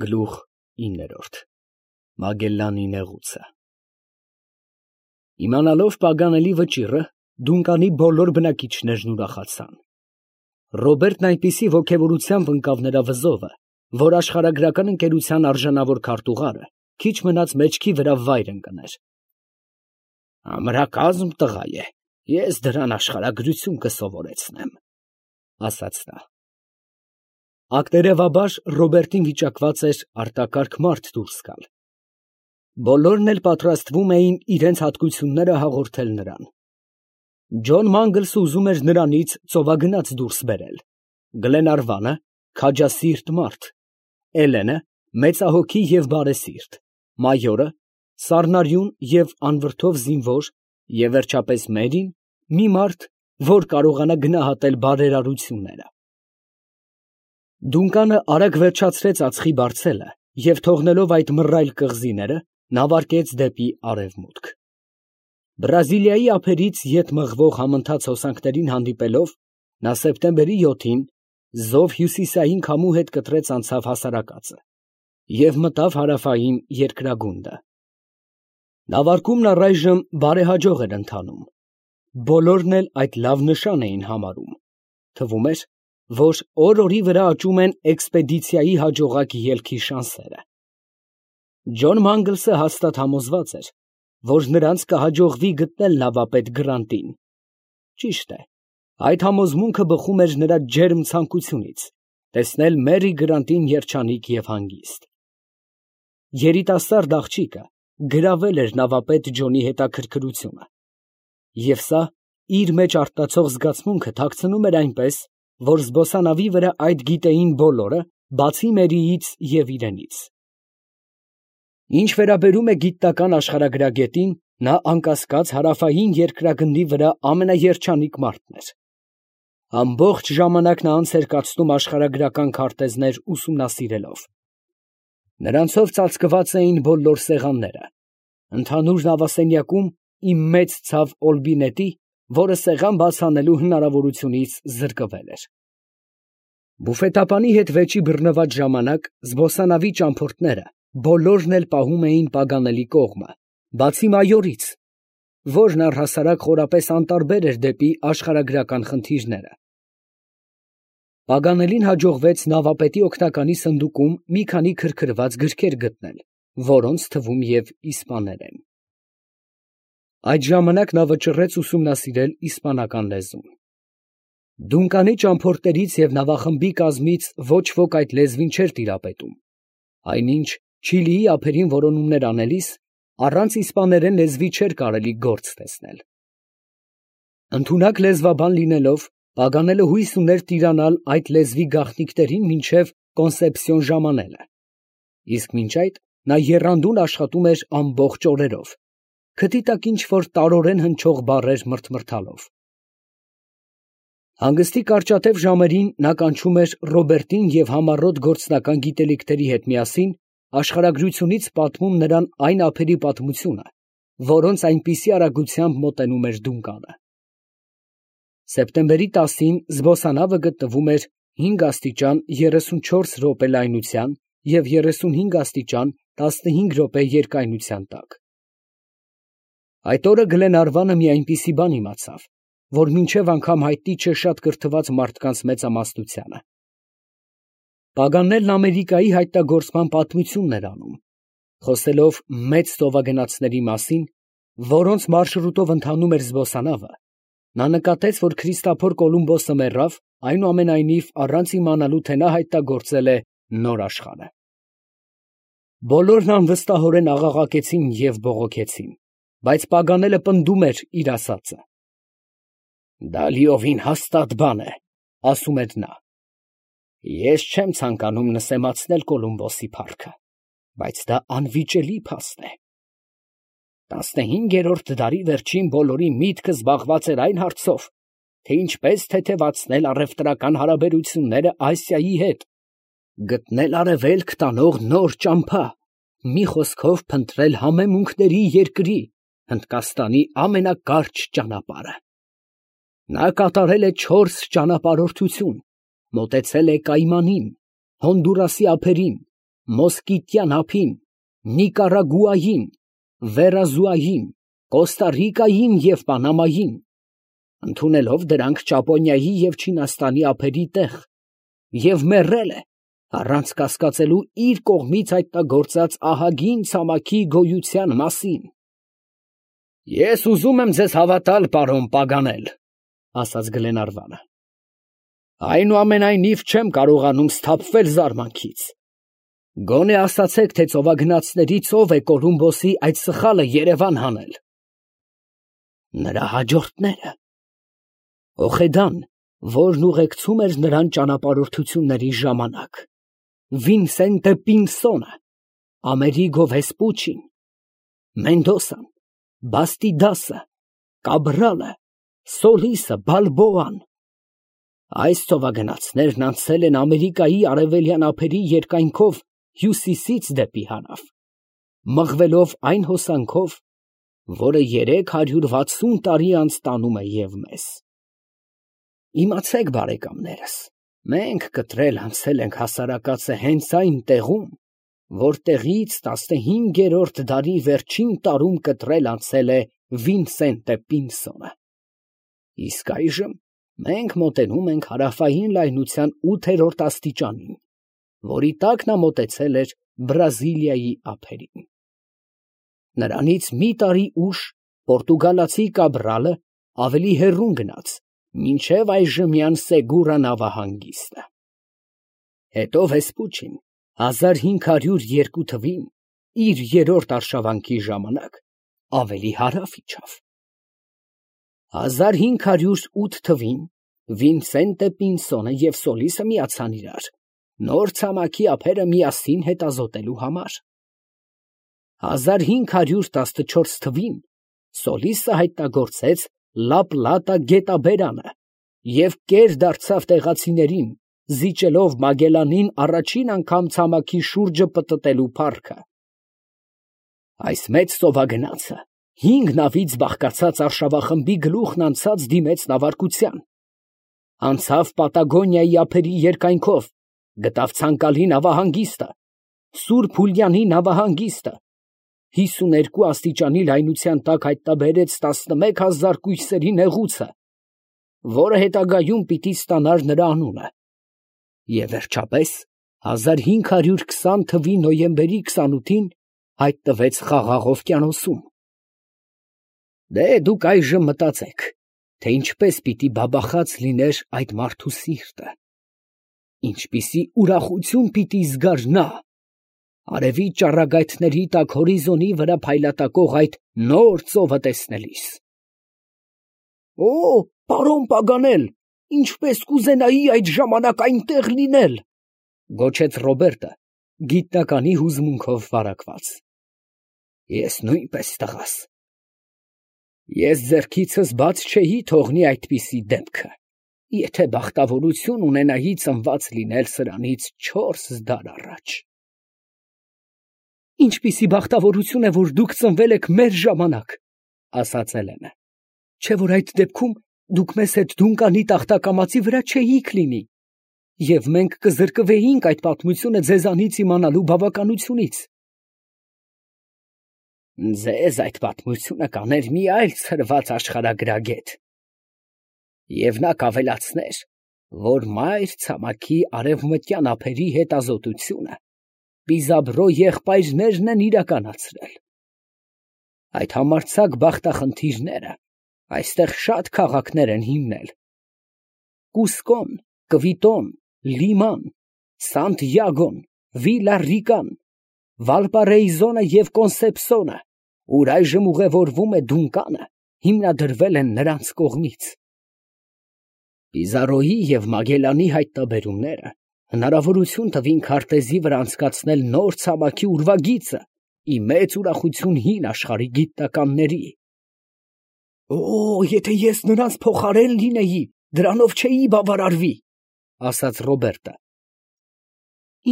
Գլուխ 9 Մագելլանի նեղուցը Իմանալով Պագանելի վճիռը, Դունկանի բոլոր բնակիչներն ուրախացան։ Ռոբերտն այնպիսի ոգևորությամբ ընկավ նրա վզովը, որ աշխարհագրական ընկերության արժանավոր քարտուղարը քիչ մնաց մեջքի վրա վայր ընկներ։ «Ամրակազմ տղա է, ես դրան աշխարհագրություն կսովորեցնեմ», ասաց նա։ Ակտերևաբար Ռոբերտին վիճակված էր արտակարգ մարդ դուրս գալ։ Բոլորն էլ պատրաստվում էին իրենց հատկությունները հաղորդել նրան։ Ջոն Մանգլսը ուզում էր նրանից ծովագնաց դուրս բերել, Գլենարվանը քաջասիրտ մարդ, Էլենը մեծահոգի և բարեսիրտ, մայորը սառնարյուն և անվրդով զինվոր և վերջապես Մերին մի մարդ, որ կարողանա գնահատել բարերարությունները։ Դունկանը արագ վերջացրեց ածխի բարձելը և թողնելով այդ մռայլ կղզիները, նավարկեց դեպի արևմուտք։ Բրազիլիայի ափերից ետ մղվող համընթաց հոսանքներին հանդիպելով, նա սեպտեմբերի 7-ին զով հյուսիսային քամու հետ կտրեց անցավ հասարակածը և մտավ հարավային երկրագունդը։ Նավարկումն առայժմ բարեհաջող էր ընթանում։ Բոլորն էլ այդ լավ նշան էին համարում։ Թվում էր, որ օր֊օրի վրա աճում են էքսպեդիցիայի հաջողակ ելքի շանսերը։ Ջոն Մանգլսը հաստատ համոզված էր, որ նրանց կհաջողվի գտնել նավապետ Գրանտին։ Ճիշտ է, այդ համոզմունքը բխում էր նրա ջերմ ցանկությունից տեսնել Մերի Գրանտին երջանիկ և հանգիստ։ Երիտասարդ աղջիկը գրավել էր նավապետ Ջոնի հետաքրքրությունը, և սա իր մեջ արտացող զգացմունքը թաքցնում էր այնպես, որ զբոսանավի վրա այդ գիտեին բոլորը, բացի Մերիից և իրենից։ Ինչ վերաբերում է գիտնական աշխարհագրագետին, նա անկասկած հարավային երկրագնդի վրա ամենաերջանիկ մարդն էր։ Ամբողջ ժամանակն անց էր կացնում աշխարհագրական քարտեզներ ուսումնասիրելով։ Նրանցով ծածկված էին բոլոր սեղանները։ Ընդհանուր նավասենյակում իմ մեծ ցավ Օլբինետի, որը սեղան բաց անելու հնարավորությունից զրկվել էր։ Բուֆետապանի հետ վեճի բռնված ժամանակ զբոսանավի ճամփորդները բոլորն էլ պահում էին Պագանելի կողմը, բացի մայորից, որն առհասարակ խորապես անտարբեր էր դեպի աշխարհագրական խնդիրները։ Պագանելին հաջողվեց նավապետի օգնականի սնդուկում մի քանի քրքրված գրքեր գտնել, որոնց թվում և իսպաներեն։ Այդ ժամանակ նա վճռեց ուսումնասիրել իսպանական լեզուն։ Դունկանի ճամփորդներից և նավախմբի կազմից ոչ ոք այդ լեզվին չէր տիրապետում, այնինչ Չիլիի ափերին որոնումներ անելիս առանց իսպաներեն լեզվի չէր կարելի գործ տեսնել։ Ընդունակ լեզվաբան լինելով, Պագանելը հույս ուներ տիրանալ այդ լեզվի գաղտնիքներին մինչև Կոնսեպսիոն ժամանելը, իսկ մինչ այդ նա եռանդուն աշխատում էր ամբողջ օրերով, քթի տակ ինչ֊որ տարորեն հնչող բառեր մրթմրթալով։ Հանգստի կարճատև ժամերին նա կանչում էր Ռոբերտին և համառոտ գործնական գիտելիքների հետ միասին աշխարհագրությունից պատմում նրան այն ափերի պատմությունը, որոնց այնպիսի արագությամբ մոտենում էր Դունկանը։ Սեպտեմբերի 10-ին զբոսանավը գտնվում էր 5 աստիճան 34 րոպե լայնության և 35 աստիճան 15 րոպե երկայնության տակ։ Այդ օրը Գլենարվանը մի այնպիսի բան իմացավ, որ մինչև անգամ հայտնի չէ շատ կրթված մարդկանց մեծամասնությանը։ Պագանելն Ամերիկայի հայտնագործման պատմությունն էր անում, խոսելով մեծ ծովագնացների մասին, որոնց մարշրուտով ընթանում էր զբոսանավը, նա նկատեց, որ Քրիստափոր Կոլումբոսը մեռավ, այնուամենայնիվ առանց իմանալու, թե նա հայտնագործել է նոր աշխարհը։ Բոլորն անվստահորեն աղաղակեցին և բողոքեցին, բայց Պագանելը պնդում էր իր ասածը։ «Դա լիովին հաստատ բան է, ֊ ասում էր նա. ես չեմ ցանկանում նսեմացնել Կոլումբոսի փառքը, բայց դա անվիճելի փաստ է։ 15-րդ դարի վերջին բոլորի միտքը զբաղված էր այն հարցով, թե ինչպես թեթևացնել առևտրական հարաբերությունները Ասիայի հետ, գտնել արևելք տանող նոր ճամփա, մի խոսքով փնտրել համեմունքների երկրի, Հնդկաստանի ամենակարճ ճանապարհը։ Նա կատարել է 4 ճանապարհորդություն, մոտեցել է Կայմանին, Հոնդուրասի ափերին, Մոսկիտյան ափին, Նիկարագուային, Վերազուային, Կոստարիկային և Պանամային, ընդունելով դրանք Ճապոնիայի և Չինաստանի ափերի տեղ, և մեռել է, առանց կասկածելու իր կողմից հայտնագործած ահագին ցամաքի գոյության մասին։ «Ես ուզում եմ ձեզ հավատալ, պարոն Պագանել, ֊ ասաց Գլենարվանը, ֊ այնուամենայնիվ չեմ կարողանում սթափվել զարմանքից։ Գոնե ասացեք, թե ծովագնացներից ով է Կոլումբոսի այդ սխալը Երևան հանել։ Նրա հաջորդները։ Օխեդան, որն ուղեկցում էր նրան ճանապարհորդությունների ժամանակ, Վինսենտե Պինսոնը, Ամերիգո Վեսպուչին, Մենդոսան, Բաստիդասը, Կաբրալը, Սոլիսը, Բալբոան։ Այս ծովագնացներն անցել են Ամերիկայի արևելյան ափերի երկայնքով հյուսիսից դեպի հարավ, մղվելով այն հոսանքով, որը 360 տարի անց տանում է և մեզ։ Իմացեք, բարեկամներս, մենք կտրել անցել ենք հասարակածը հենց այն տեղում, որտեղից 15-րդ դարի վերջին տարում կտրել անցել է Վինսենտե Պինսոնը։ Իսկ այժմ մենք մոտենում ենք հարավային լայնության 8-րդ աստիճանին, որի տակ նա մոտեցել էր Բրազիլիայի ափերին։ Նրանից մի տարի ուշ պորտուգալացի Կաբրալը ավելի հեռուն գնաց, մինչև այժմյան Սեգուրա նավահանգիստը։ Հետո Վեսպուչին 1502 թվին իր երրորդ արշավանքի ժամանակ ավելի հարավ իջավ։ 1508 թվին Վինսենտե Պինսոնը և Սոլիսը միացան իրար, նոր ցամաքի ափերը միասին հետազոտելու համար։ 1514 թվին Սոլիսը հայտնագործեց Լա Պլատա գետաբերանը և կեր դարձավ տեղացիներին, զիջելով Մագելանին առաջին անգամ ցամաքի շուրջը պտտելու փառքը։ Այս մեծ ծովագնացը 5 նավից բաղկացած արշավախմբի գլուխն անցած դիմեց նավարկության, անցավ Պատագոնիայի ափերի երկայնքով, գտավ ցանկալի նավահանգիստը, Սուրբ Հուլիանի նավահանգիստը, 52 աստիճանի լայնության տակ հայտնաբերեց 11,000 կույսերի նեղուցը, որը հետագայում պիտի ստանար նրա անունը, և վերջապես 1520 թվի նոյեմբերի 28-ին հայտնվեց Խաղաղ օվկիանոսում։ Դե դուք այժմ մտածեք, թե ինչպես պիտի բաբախած լիներ այդ մարդու սիրտը, ինչպիսի ուրախություն պիտի զգար նա արևի ճառագայթների տակ հորիզոնի վրա փայլատակող այդ նոր ծովը տեսնելիս։ «Օ, պարոն Պագանել, ինչպես կուզենայի այդ ժամանակ այնտեղ լինել», ֊ գոչեց Ռոբերտը, գիտնականի հուզմունքով վարակված։ Ես նույնպես, տղաս։ Ես ձեռքիցս բաց չէի թողնի այդպիսի դեպքը, եթե բախտավորություն ունենայի ծնված լինել սրանից 4 դար առաջ։ Ինչպիսի բախտավորություն է, որ դուք ծնվել եք մեր ժամանակ, ֊ ասաց Էլենը, ֊ չէ՞ որ այդ դեպքում դուք մեզ հետ Դունկանի տախտակամածի վրա չէիք լինի, և մենք կզրկվեինք այդ պատմությունը ձեզանից իմանալու բավականությունից։ Ձեզ այդ պատմությունը կաներ մի այլ ցրված աշխարհագրագետ, և նա կավելացներ, որ մայր ցամաքի արևմտյան ափերի հետազոտությունը Պիզաբրո եղբայրներն են իրականացրել։ Այդ համարձակ բախտախնդիրները այստեղ շատ քաղաքներ են հիմնել. Կուսկոն, Կվիտոն, Լիման, Սանտիագոն, Վիլա Ռիկան, Վալպարեիզոնը և Կոնսեպսոնը, ուր այժմ ուղևորվում է Դունկանը, հիմնադրվել են նրանց կողմից։ Պիզարոյի և Մագելանի հայտնաբերումները հնարավորություն տվին քարտեզի վրա անցկացնել նոր ցամաքի ուրվագիծը ի մեծ ուրախություն հին աշխարհի գիտնականների։ Օ, եթե ես նրանց փոխարեն լինեի, դրանով չէի բավարարվի, ֊ ասաց Ռոբերտը։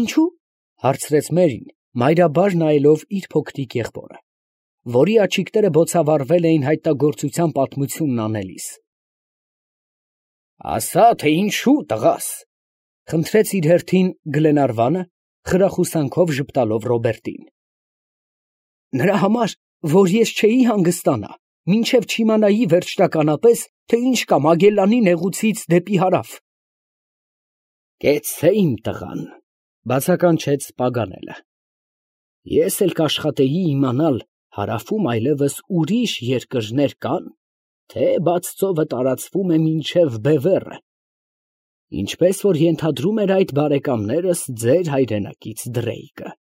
Ինչո՞ւ, ֊ հարցրեց Մերին, մայրաբար նայելով իր փոքրիկ եղբորը, որի աչիկները բոցավառվել էին հայտնագործության պատմությունն անելիս։ Ասա, թե ինչու, տղաս, ֊ խնդրեց իր հերթին Գլենարվանը, խրախուսանքով ժպտալով Ռոբերտին։ Նրա համար, որ ես չէի հանգստանա, մինչև չիմանայի վերջնականապես, թե ինչ կա Մագելլանի նեղուցից դեպի հարավ։ Կեցցե իմ տղան, բացականչեց Պագանելը։ Ես էլ կաշխատեի իմանալ, հարավում այլևս ուրիշ երկրներ կան, թե բաց ծովը տարածվում է մինչև Բևեռը, ինչպես որ ենթադրում էր այդ բարեկամներս ձեր հայրենակից Դրեյկը։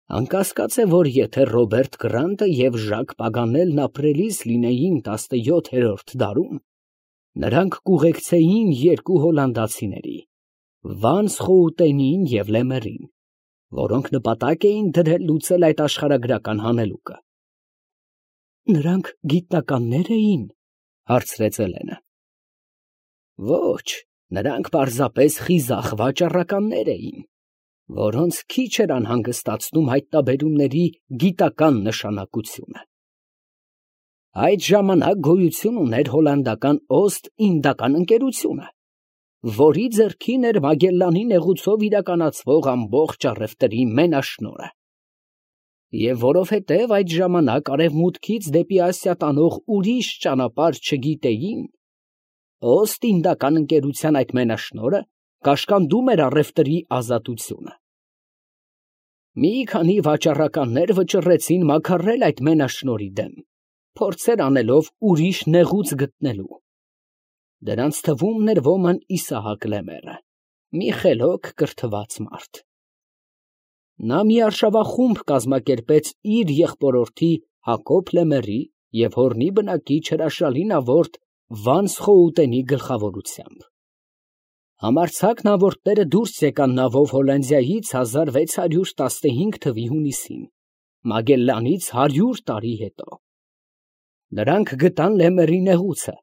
Անկասկած է, որ եթե Ռոբերտ Գրանտը և Ժակ Պագանելն ապրելիս լինեին 17-րդ դարում, նրանք կուղեկցեին երկու հոլանդացիների, Վանս Խոուտենին և Լեմերին, որոնք նպատակ էին դրել լուծել այդ աշխարհագրական հանելուկը։ Նրանք գիտնականներ էին, հարցրեց Էլենը։ Ոչ, նրանք պարզապես խիզախ վաճառականներ էին, որոնց քիչ էր անհանգստացնում հայտնաբերումների գիտական նշանակությունը։ Այդ ժամանակ գոյություն ուներ հոլանդական Օստ-Ինդական ընկերությունը, որի ձեռքին էր Մագելլանի նեղուցով իրականացվող ամբողջ առևտրի մենաշնորհը։ Եվ որովհետև այդ ժամանակ արևմուտքից դեպի Ասիա տանող ուրիշ ճանապարհ չգիտեին, Օստ-Ինդական ընկերության այդ մենաշնորհը կաշկանդում էր առևտրի ազատությունը։ Մի քանի վաճառականներ վճռեցին մաքարել այդ մենաշնորհի դեմ, փորձեր անելով ուրիշ նեղուց գտնելու։ Դրանց թվում էր ոմն Իսահակ Լեմերը, մի խելոք կրթված մարդ։ Նա մի արշավախումբ կազմակերպեց իր եղբորորդի Հակոբ Լեմերի և հորնի բնակիչ հրաշալի նավորդ Վանս Խոուտենի գլխավորությամբ։ Համարձակ նավորդները դուրս եկան նավով Հոլանդիայից 1615 թվականի հունիսին, Մագելլանից 100 տարի հետո։ Նրանք գտան Լեմերի նեղուցը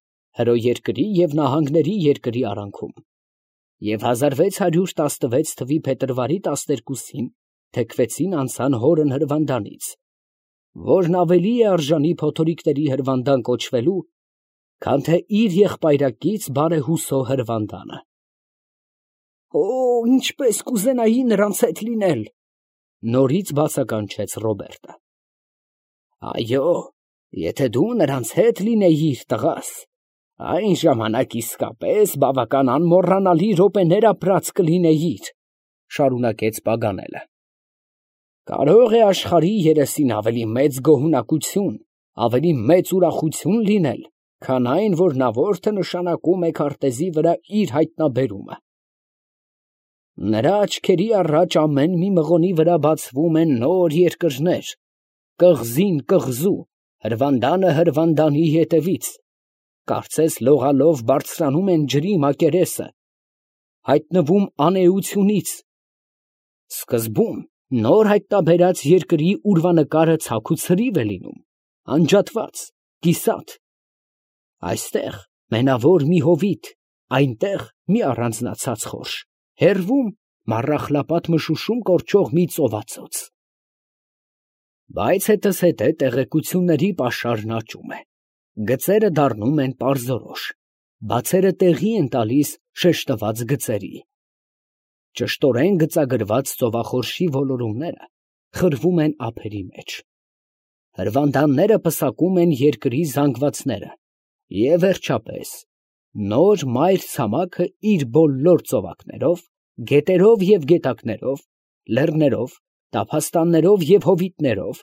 հրոերկրի և նահանգների երկրի արանքում, և 1616 թվականի փետրվարի 12-ին թեքվեցին անցան հորն հրվանդանից, որն ավելի է արժանի փոթորիկների հրվանդան կոչվելու, քան թե իր եղբայրակից բարեհուսո հրվանդանը։ Օ, ինչպես կուզենայի նրանց հետ լինել, նորից բացականչեց Ռոբերտը։ Այո, եթե դու նրանց հետ լինեիր, տղաս, այն ժամանակ իսկապես բավական անմոռանալի րոպեներ ապրած կլինեիր, շարունակեց Պագանելը։ Կարող է աշխարհի երեսին ավելի մեծ գոհունակություն, ավելի մեծ ուրախություն լինել, քան այն, որ նավորդը նշանակում է քարտեզի վրա իր հայտնաբերումը։ Նրա աչքերի առաջ ամեն մի մղոնի վրա բացվում են նոր երկրներ, կղզին կղզու, հրվանդանը հրվանդանի ետևից, կարծես լողալով բարձրանում են ջրի մակերեսը, հայտնվում անէությունից, սկզբում նոր հայտնաբերած երկրի ուրվանկարը ցաք ու ցրիվ է լինում, անջատված, կիսատ, այստեղ մենավոր մի հովիտ, այնտեղ մի առանձնացած խորշ, հեռվում մառախլապատ մշուշում կորչող մի ծովածոց։ Բայց հետզհետե տեղեկությունների պաշարն աճում է, գծերը դառնում են պարզորոշ, բացերը տեղի են տալիս շեշտված գծերի։ Ճշտորեն գծագրված ծովախորշի ոլորումները խրվում են ափերի մեջ։ Հրվանդանները պսակում են երկրի զանգվածները, և վերջապես նոր մայր ցամաքը իր բոլոր ծովակներով, գետերով և գետակներով, լեռներով, տափաստաններով և հովիտներով,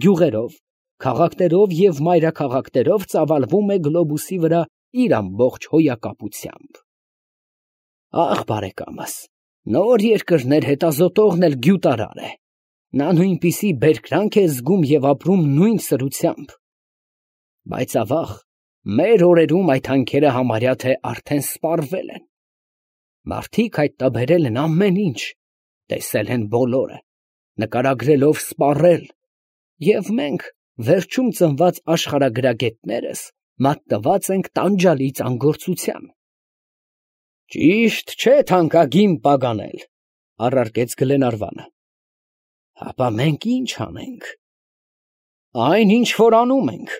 գյուղերով, քաղաքներով և մայրաքաղաքներով ծավալվում է գլոբուսի վրա իր ամբողջ հոյակապությամբ։ Ախ, բարեկամս, նոր երկրներ հետազոտողն էլ գյուտարար է, նա նույնպիսի բերկրանք է զգում և ապրում նույն սրությամբ։ Բայց ավաղ, մեր օրերում այդ հանքերը համարյա թե արդեն սպառվել են։ Մարդիկ հայտնաբերել են ամեն ինչ, տեսել են բոլորը, նկարագրելով սպառել, և մենք, վերջում ծնված աշխարհագրագետներս, մատնված ենք տանջալի ծանգործության։ Ճիշտ չէ թանկագին Պագանել, առարկեց Գլենարվանը։ Հապա մենք ի՞նչ անենք։ Այն, ինչ որ անում ենք։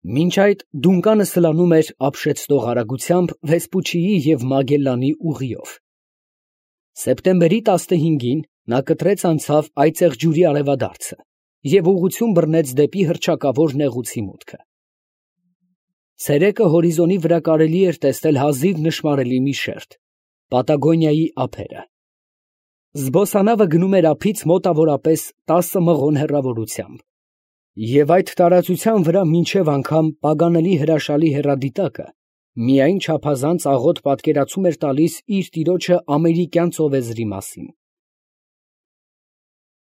Մինչ այդ Դունկանը սլանում էր ապշեցնող արագությամբ Վեսպուչիի և Մագելլանի ուղիով։ Սեպտեմբերի 15-ին նա կտրեց անցավ այծեղ ջուրի արևադարձը և ուղղություն բռնեց դեպի հռչակավոր նեղուցի մուտքը։ Ցերեկը հորիզոնի վրա կարելի էր տեսնել հազիվ նշմարելի մի շերտ՝ Պատագոնիայի ափերը։ Զբոսանավը գնում էր ափից մոտավորապես 10 մղոն հեռավորությամբ, և այդ տարածության վրա մինչև անգամ Պագանելի հրաշալի հեռադիտակը միայն չափազանց աղոտ պատկերացում էր տալիս իր տիրոջը ամերիկյան ծովեզրի մասին։